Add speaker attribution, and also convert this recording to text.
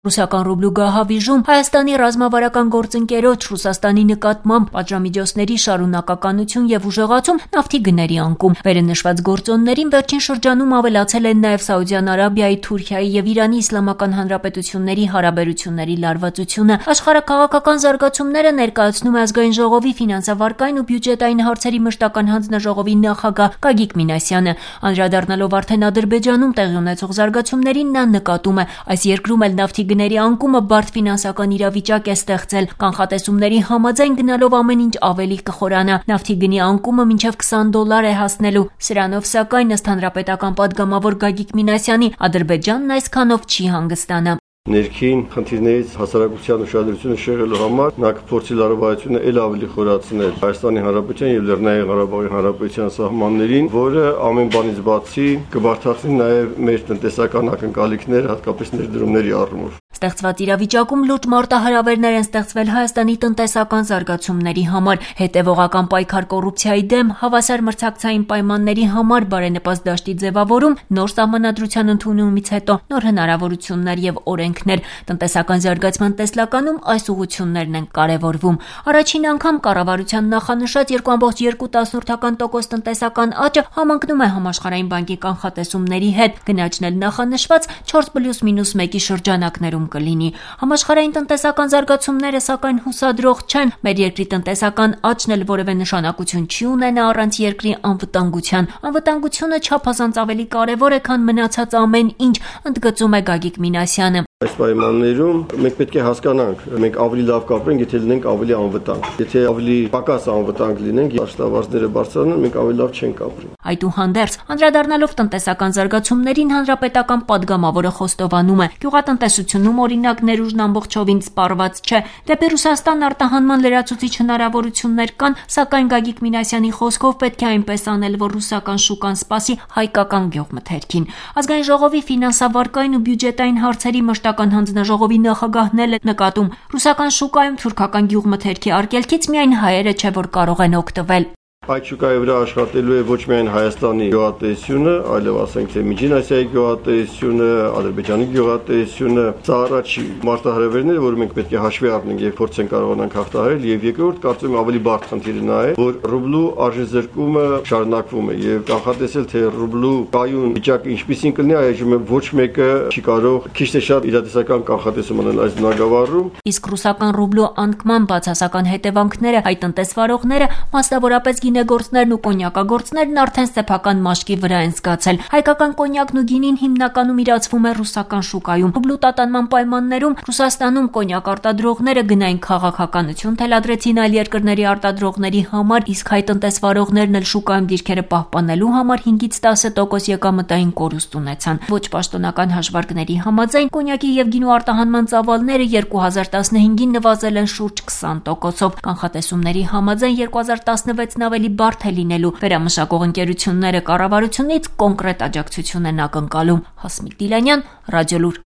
Speaker 1: Ռուսական ռուբլու գահավիժում Հայաստանի ռազմավարական գործընկերոջ Ռուսաստանի նկատմամբ պատժամիջոցների շարունակականություն եւ ուժեղացում նավթի գների անկում։ Վերը նշված գործոններին վերջին շրջանում ավելացել են նաեւ Սաուդյան Արաբիայի, Թուրքիայի եւ Իրանի Իսլամական Հանրապետությունների հարաբերությունների լարվածությունը։ Աշխարհաքաղաքական զարգացումները ներկայացնում է Ազգային ժողովի ֆինանսավարկային ու բյուջետային հարցերի մշտական հանձնաժողովի նախագահ Գագիկ Մինասյանը։ Անդրադառնալով արդեն Ադրբեջանում տեղի ունեցող զարգացումներին, նա նկատում է, այս երկրում էլ նավթի գների անկումը բարդ ֆինանսական իրավիճակ է ստեղծել։ Կանխատեսումների համաձայն գնալով ամեն ինչ ավելի կխորանա։ Նավթի գնի անկումը մինչև $20 է հասնելու։ Սրանով սակայն ըստ հանրապետական падգամավոր Գագիկ Մինասյանի, Ադրբեջանն այսքանով չի հանգստանա։
Speaker 2: Ներքին խնդիրներից հասարակության ուշադրությունը շեղելու համար նա կփորձի լարվածությունը ել ավելի խորացնել Հայաստանի Հանրապետության եւ Լեռնային Ղարաբաղի Հանրապետության սահմաններին, որը ամեն բանից բացի կբարթացնի նաեւ մեր տնտեսական ակնկալիքները, հատկապես ներդրումների առումով։
Speaker 1: Ստեղծված իրավիճակում լուրջ մարտահրավերներ են ստեղծվել Հայաստանի տնտեսական զարգացումների համար, հետևողական պայքար կոռուպցիայի դեմ, հավասար մրցակցային պայմանների համար բարենպաստ դաշտի ձևավորում, նոր սահմանադրության ընդունումից հետո նոր հնարավորություններ եւ օրենքներ։ Տնտեսական զարգացման տեսլականում այս ուղղություններն են կարևորվում։ Առաջին անգամ կառավարության նախանշած 2.2% տնտեսական աճը համընկնում է Համաշխարհային բանկի կանխատեսումների հետ, գնաճն էլ նախանշված 4+-1-ի շրջանակներում կլինի։ Համաշխարհային տնտեսական զարգացումները սակայն հուսադրող չեն։ Մեր երկրի տնտեսական աճն էլ որևէ նշանակություն չի ունենա առանց երկրի անվտանգության։ Անվտանգությունը չափազանց ավելի կարևոր է, քան մնացած ամեն ինչ, ընդգծում է Գագիկ Մինասյանը։
Speaker 2: Այս պայմաններում մենք պետք է հասկանանք, մենք ավելի լավ կապրենք, եթե լինենք ավելի անվտանգ։ Եթե ավելի պակաս անվտանգ լինենք, աշխատավարձները բարձրանան, մենք ավելի լավ չենք ապրի։
Speaker 1: Այդուհանդերձ, անդրադառնալով տնտեսական զարգացումներին, հանրապետական падգամավորը խոստովանում է, գյուղատնտեսությունում օրինակ ներուժն ամբողջովին սպառված չէ։ Դեպի Ռուսաստան արտահանման լրացուցիչ հնարավորություններ կան, սակայն Գագիկ Մինասյանի խոսքով պետք է այնպես անել, որ ռուսական շուկան սպասի հայկական գյուղմթերքին։ Ազգային ժողովի ֆինանսավարկային ու բյուջետային հարցերի մշտական հանձնաժողովի նախագահն էլ է նկատում, ռուսական շուկայում թուրքական գյուղմթերքի արգելքից միայն հայերը չէ, որ կարող են օգտվել։
Speaker 2: Այդ շուկայի վրա աշխատելու է ոչ միայն Հայաստանի գյուղատնտեսությունը, այլև ասենք թե Միջին Ասիայի գյուղատնտեսությունը, Ադրբեջանի գյուղատնտեսությունը, սա առաջի մարտահրավերները, որ մենք պետք է հաշվի առնենք եւ փորձենք կարողանանք հաղթահարել, եւ երկրորդ կարծում եմ ավելի բարդ խնդիրը նա է, որ ռուբլու արժեզրկումը շարունակվում է եւ կանխատեսել թե ռուբլու կայուն վիճակը ինչպեսին կլինի, այժմ ոչ մեկը չի կարող քիչ թե շատ իրատեսական կանխատեսում անել այս բնագավառում։
Speaker 1: Իսկ ռուսական ռուբլու անկման բացասական հետևանքները հայ տնտեսվարողները, մասնավորապես գինեգործներն ու կոնյակագործներն արդեն սեփական մաշկի վրա են զգացել։ Հայկական կոնյակն ու գինին հիմնականում իրացվում է ռուսական շուկայում։ Ռուբլու տատանման պայմաններում Ռուսաստանում կոնյակ արտադրողները գնային քաղաքականություն թելադրեցին այլ երկրների արտադրողների համար, իսկ հայ տնտեսվարողներն էլ շուկայում դիրքերը պահպանելու համար 5-10% եկամտային կորուստ ունեցան։ Ոչ պաշտոնական հաշվարկների համաձայն կոնյակի եւ գինու արտահանման ծավալները 2015-ին նվազել են շուրջ 20%-ով։ Կանխատեսումների համաձայն 2016-ն ավելի բարդ է լինելու։ Վերամշակող ընկերությունները կառավարությունից կոնկրետ աջակցություն են ակնկալում։ Հասմիկ Դիլանյան, Ռադիոլուր։